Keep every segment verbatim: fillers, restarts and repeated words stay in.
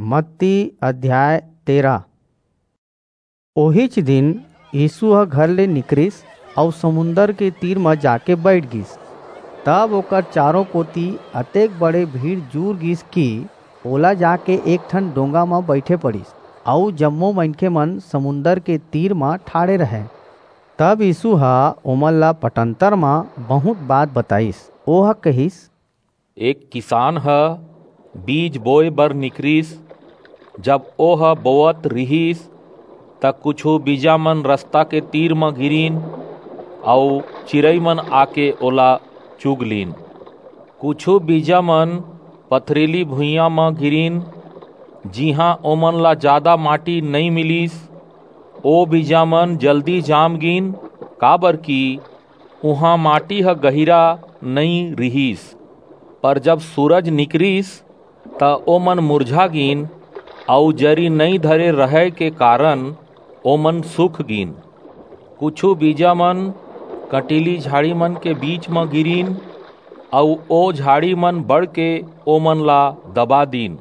मत्ती अध्याय तेरह। ओहीच दिन यीसू ह घर ले निकरिस अऊ समुंदर के तीर म जाके बईठ गीस। तब ओकर चारों कोति अतेक बड़े भीड़ जुर गीस कि ओला जाके एक ठन डोंगा म बईठे पड़िस, अऊ जम्मो मनखेमन समुंदर के तीर म ठाढ़े रहंय। तब यीसू ह ओमन ला पटंतर म बहुंत बात बताईस। ओह कहिस, एक किसान ह बीज बोय बर निकरिस। जब ओह बोवत रिहिस, त कुछू बीजामन रसता के तीर म गिरिन, अऊ चिरईमन आके ओला चुग लीन। कुछू बीजामन पथरीली भुइयां म गिरिन, जिहां ओमन ला जादा माटी नइं मिलिस। ओ बीजामन जल्दी जाम गीन, काबरकि उहां माटी ह गहिरा नइं रिहिस। पर जब सूरज निकरिस, त ओमन मुरझा गीन, अऊ जरी नइं धरे रहय के कारन ओमन सूख गीन। कुछू बीजामन कंटीली झाड़ीमन के बीच म गिरिन, अऊ ओ झाड़ीमन बढ़के ओमन ला दबा दीन।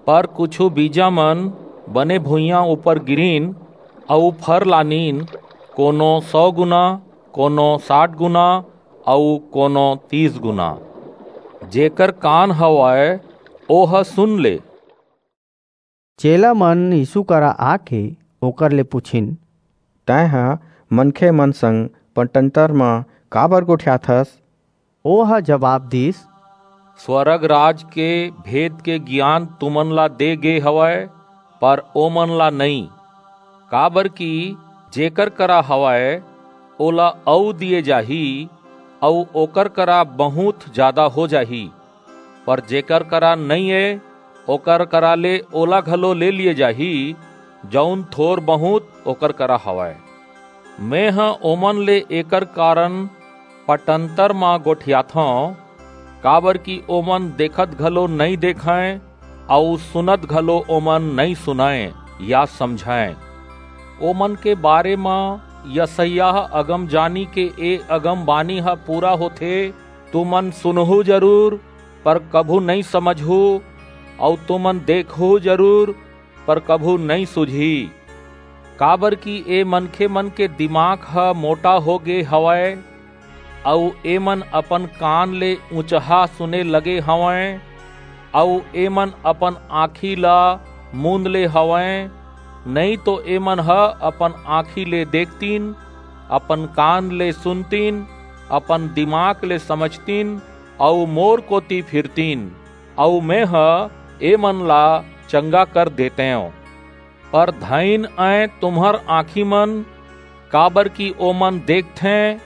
पर कुछू बीजामन बने भुइयां ऊपर गिरिन, अऊ फर लानिन, कोनो सौ गुना, कोनो साठ गुना, अऊ कोनो तीस गुना। जेकर कान हवय, ओह सुन ले। चेलामन यीसू करा आके ओकर ले पुछिन, तैं ह मनखेमन संग पटंतर म काबर गोठियाथस? ओह जबाब दीस, स्वरग राज के भेद के गियान तुमन ला दे गे हवय, पर ओमन ला नइं। काबरकि जेकर करा हवय, ओला अऊ दिये जाही, अऊ ओकर करा बहुंत जादा हो जाही। पर जेकर करा नइं ए, ओकर करा ले ओला घलो ले लिये जाही, जऊन थोर बहुंत ओकर करा हवय। मेंह ओमन ले एकर कारन पटंतर म गोठियाथंव, काबरकि ओमन देखत घलो नइं देखंय, अऊ सुनत घलो ओमन नइं सुनंय या समझंय। ओमन के बारे म यसायाह अगमजानी के ए अगमबानी ह पूरा होथे, तुमन सुनहू जरूर, पर कभू नइं समझहू, अऊ तुमन देखहू जरूर, पर कभू नइं सुझही। काबरकि ए मनखेमन के दिमाग ह मोटा हो गे हवय, अऊ एमन अपन कान ले ऊंचहा सुने लगे हवंय, अऊ एमन अपन आंखी ला मूंद ले हवंय, नइं तो एमन ह अपन आंखी ले देखतिन, अपन कान ले सुनतिन, अपन दिमाग ले समझतिन, अऊ मोर कोति फिरतिन, अऊ मेंह एमन ला चंगा कर देतेंव। पर धइन अंय तुम्हर आंखीमन, काबरकि ओमन देखथें,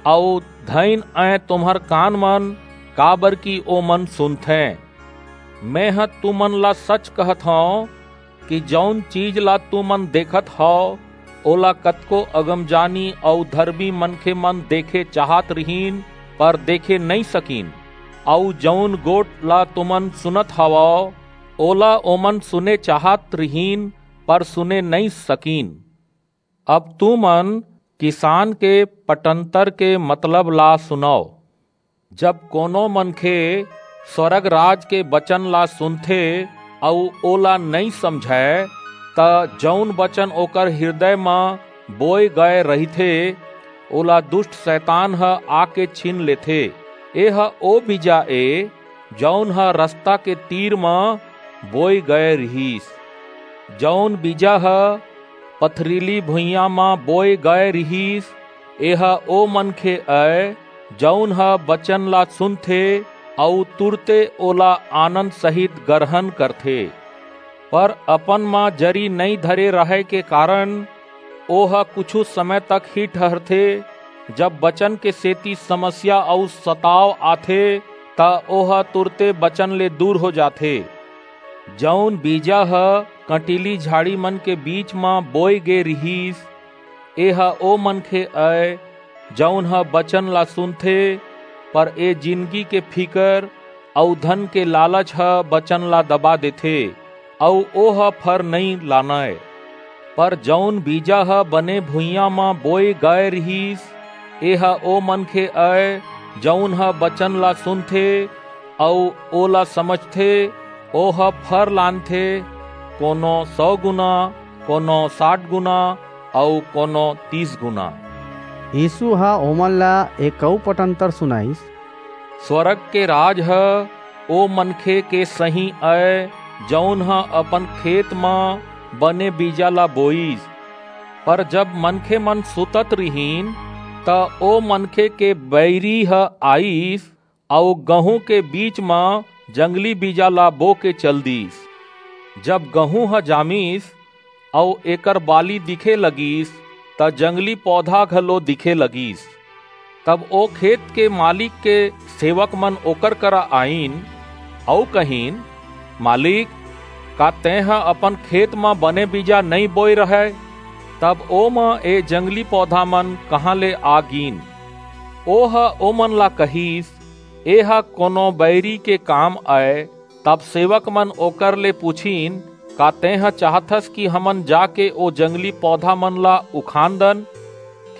अऊ धइन अंय तुम्हर कानमन, काबरकि ओमन सुनथें। मेंह तुमन ला सच कहत हंव कि जऊन चीज ला तुमन देखत हव, ओला कतको अगमजानी अऊ धरमी मनखेमन देखे चाहत रिहिन, पर देखे नइं सकिन, अऊ जऊन गोठ ला तुमन सुनत हवव, ओला ओमन सुने चाहत रिहिन, पर सुने नइं सकिन। अब तुमन किसान के पटंतर के मतलब ला सुनव। जब कोनो मनखे स्वरग राज के बचन ला सुनथे अऊ ओला नइं समझय, त जऊन बचन ओकर हिरदय म बोय गय रहिथे, ओला दुस्ट सैतान ह आके छीन लेथे। एह ओ बीजा ए, जऊन ह रसता के तीर म बोय गय रिहिस। जऊन बीजा ह पथरीली भुइयां म बोय गय रिहिस, एह ओ मनखे अय, जऊन ह बचन ला सुनथे अऊ तुरते ओला आनंद सहित गरहन करथे। पर अपन म जरी नइं धरे रहय के कारन ओह कुछू समय तक ही ठहरथे। जब बचन के सेति समस्या अऊ सताव आथे, त ओह तुरते बचन ले दूर हो जाथे। जऊन बीजा ह कंटीली झाड़ीमन के बीच म बोय गे रिहिस, एह ओ मनखे अय, जऊन ह बचन ला सुनथे, पर ए जिनगी के फिकर अऊ धन के लालच ह बचन ला दबा देथे, अऊ ओह फर नइं लानय। पर जऊन बीजा ह बने भुइयां म बोय गय रिहिस, एह ओ मनखे अय, जऊन ह बचन ला सुनथे अऊ ओला समझथे, ओह फर लानथे, कोनो सौ गुना, कोनो साठ गुना, अऊ कोनो तीस गुना।" यीसू ह ओमन ला एक अऊ पटंतर सुनाईस। स्वरग के राज ह ओ मनखे के सहीं अय, जऊन ह अपन खेत म बने बीजा ला बोईस। पर जब मनखेमन सुतत रिहिन, त ओ मनखे के बईरी ह आईस अऊ गहूं के बीच म जंगली बीजा ला बोके चल दीस। जब गहूं ह जामिस अऊ एकर बाली दिखे लगिस, त जंगली पौधा घलो दिखे लगिस। तब ओ खेत के मालिक के सेवकमन ओकर करा आईन अऊ कहिन, "मालिक, का तेंह अपन खेत म बने बीजा नइं बोय रहय? तब ओमा ए जंगली पौधामन कहां ले आ गीन?" ओह ओमन ला कहिस, "एह कोनो बईरी के काम अय।" तब सेवकमन ओकर ले पुछिन, "का तेंह चाहथस कि हमन जाके ओ जंगली पौधामन ला उखान दन?"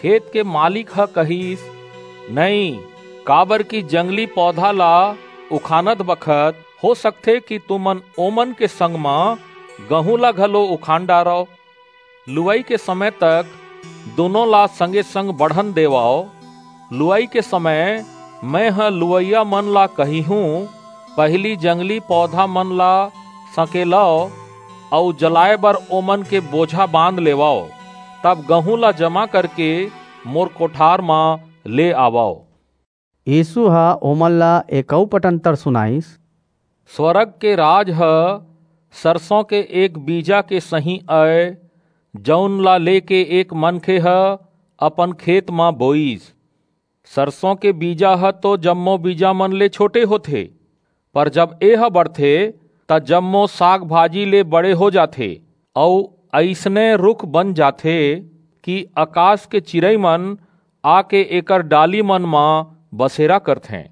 खेत के मालिक ह कहिस, "नइं, काबरकि जंगली पौधा ला उखानत बखत हो सकथे कि तुमन ओमन के संग म गहूं ला घलो उखान डारव। लुवई के समय तक दूनों ला संगे-संग बढ़न देवव। लुवई के समय मेंह लुवइयामन ला कहिहूं, पहिली जंगली पौधामन ला सकेलव अऊ जलाय बर ओमन के बोझा बांध लेवव, तब गहूं ला जमा करके मोर कोठार म ले आवव।" यीसू ह ओमन ला एक अऊ पटंतर सुनाईस। स्वरग के राज ह सरसों के एक बीजा के सहीं अय, जऊन ला लेके एक मनखे ह अपन खेत म बोईस। सरसों के बीजा ह तो जम्मो बीजामन ले छोटे होथे, पर जब एह बढ़थे, त जम्मो साग-भाजी ले बड़े हो जाथे, अऊ अइसने रूख बन जाथे कि अकास के चिरईमन आके एकर डालीमन म बसेरा करथें।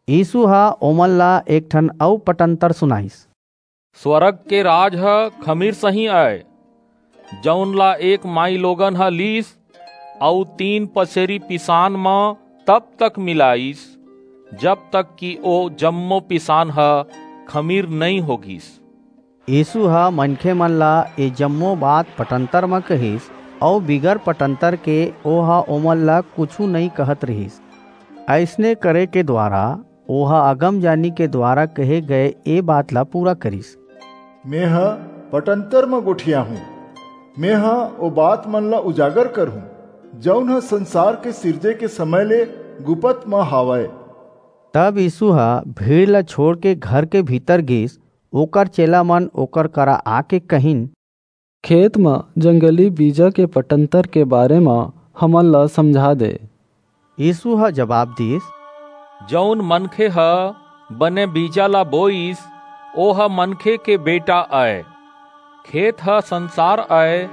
यीसू ह ओमन ला एक ठन अऊ पटंतर सुनाईस। स्वरग के राज ह खमीर सहीं अय, जऊन ला एक माईलोगन ह लीस अऊ तीन पसेरी पिसान म तब तक मिलाईस, जब तक कि ओ जम्मो पिसान ह खमीर नइं हो गीस। यीसू ह मनखेमन ला ए जम्मो बात पटंतर म कहिस, अऊ बिगर पटंतर के ओह ओमन ला कुछू नइं कहत रिहिस। अइसने करे के दुवारा ओह अगमजानी के दुवारा कहे गय ए बात ला पूरा करिस। मेंह पटंतर म गोठियाहूं, मेंह ओ बातमन ला उजागर करहूं, जऊन ह संसार के सिरजे के समय ले गुपत म हावय। तब यीसू ह भीड़ ला छोंड़के घर के भीतर गीस। ओकर चेलामन ओकर करा आके कहिन, "खेत म जंगली बीजा के पटंतर के बारे म हमन ला समझा दे।" यीसू ह जबाब दीस, "जऊन मनखे ह बने बीजा ला बोईस, ओह मनखे के बेटा अय। खेत ह संसार अय,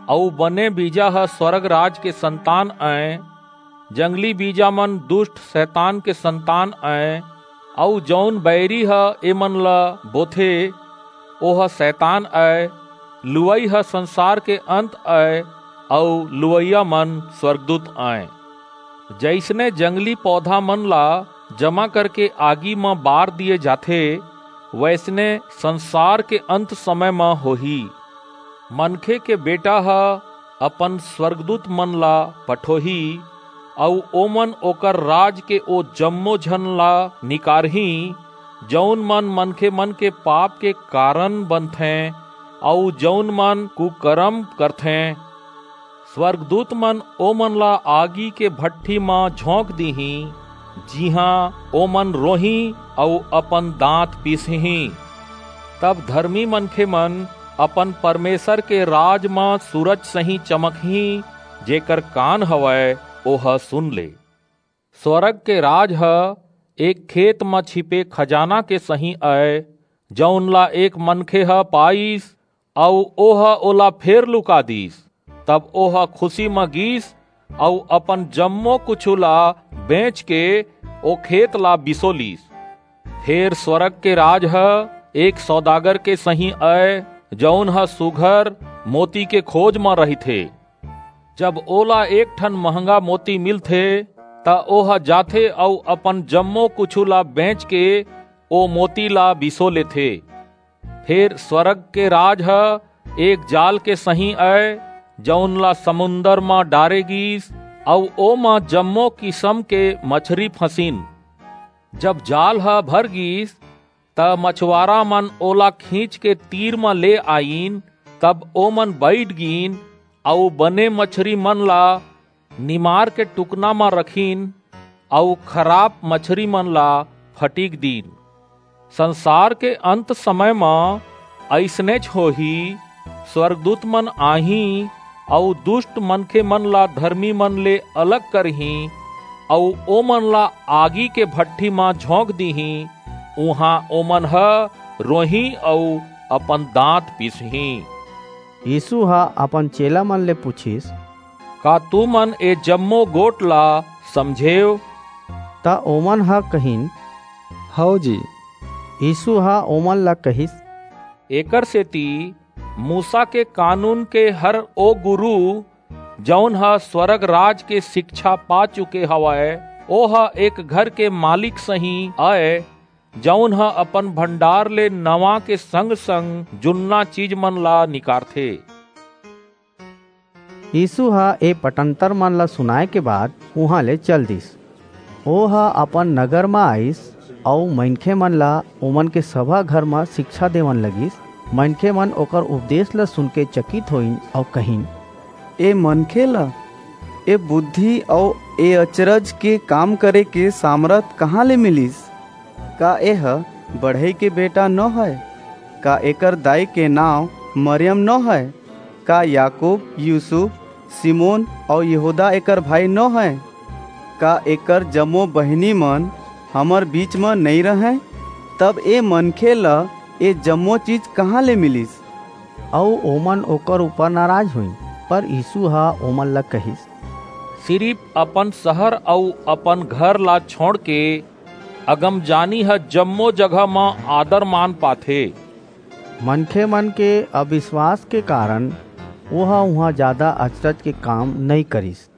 अऊ बने बीजा ह स्वरग राज के संतान अय। जंगली बीजामन दुस्ट सैतान के संतान अय, अऊ जऊन बईरी ह एमन ला बोथे, ओह सैतान अय। लुवई ह संसार के अंत अय, अऊ लुवइयामन स्वरगदूत अय। जइसने जंगली पौधामन ला जमा करके आगी म बार दिये जाथे, वइसने संसार के अंत समय म होही। मनखे के बेटा ह अपन स्वरगदूतमन ला पठोही, अऊ ओमन ओकर राज के ओ जम्मो झन ला निकारहीं, जऊन मन मनखेमन के पाप के कारन बनथें, अऊ जऊन मन कुकरम करथें। स्वरगदूतमन ओमन ला आगी के भट्ठी म झोंक दिहीं, जिहां ओमन रोहीं अऊ अपन दांत पीसहीं। तब धरमी मनखेमन अपन परमेसर के राज म सूरज सहीं चमकहीं। जेकर कान हवय, ओह सुन ले।" स्वरग के राज ह एक खेत म छिपे खजाना के सहीं अय, जऊन ला एक मनखे ह पाईस, अऊ ओह ओला फेर लुका दीस। तब ओह खुसी म गीस, अऊ अपन जम्मो कुछू ला बेंचके ओ खेत ला बिसो लीस। फेर स्वरग के राज ह एक सौदागर के सहीं अय, जऊन ह सुघर मोती के खोज म रहिथे। जब ओला एक ठन महंगा मोती मिलथे, त ओह जाथे अऊ अपन जम्मो कुछू ला बेंचके ओ मोती ला बिसो लेथे। फेर स्वर्ग के राज ह एक जाल के सहीं अय, जऊन ला समुंदर म डारे गीस, अऊ ओमा जम्मो किसम के मछरी फंसिन। जब जाल ह भर गीस, त मछवारा मन ओला खींच के तीर म ले आईन। तब ओमन बईठ गीन, अऊ बने मछरी मन ला निमार के टुकना म रखिन, अऊ खराप मछरी मन ला फटिक दीन। संसार के अंत समय म अइसनेच होही। स्वर्गदूत मन आहीं, अऊ दुष्ट मनखे मन ला धर्मी मन ले अलग करहीं, अऊ ओमन ला आगी के भट्ठी म झोंक दीहीं। उहां ओमन ह रोहीं अऊ अपन दांत पीसहीं। यीसू ह अपन चेला मन ले पुछिस, "का तुमन ए जम्मो गोठ ला समझेव?" त ओमन ह कहिन, "हव जी।" यीसू ह ओमन ला कहिस, "एकर सेति मूसा के कानून के हर ओ गुरू, जऊन ह स्वर्ग राज के सिकछा पा चुके हवय, ओह एक घर के मालिक सहीं अय, जऊन ह अपन भंडार ले नवां के संग-संग जुन्ना चीज मन ला निकारथे।" यीसू ह ए पटंतर मन ला सुनाय के बाद उहां ले चल दीस। ओह अपन नगर म आईस अऊ मनखे मन ला ओमन के सभा घर म सिकछा देवन लगिस। मनखे मन ओकर उपदेस ला सुनके चकित होइन अऊ कहिन, "ए मनखे ला ए बुद्धि अऊ ए अचरज के काम करे के सामरथ कहां ले मिलिस? का एह बढ़ई के बेटा नो हय? का एकर दाई के नांव मरियम नो हय? का याकूब, यूसुफ, सिमोन अऊ यहूदा एकर भाई नो हय? का एकर जम्मो बहिनी मन हमर बीच म नइं रहंय? तब ए मनखे ल ए जम्मो चीज कहां ले मिलिस?" अऊ ओमन ओकर ऊपर नाराज होइन। पर यीसू ह ओमन ला कहिस, "सिरिप अपन सहर अऊ अपन घर ला छोंड़के अगमजानी ह जम्मो जगह म आदर-मान पाथे।" मनखे मन के अबिसवास के कारन ओह उहां जादा अचरज के काम नइं करिस।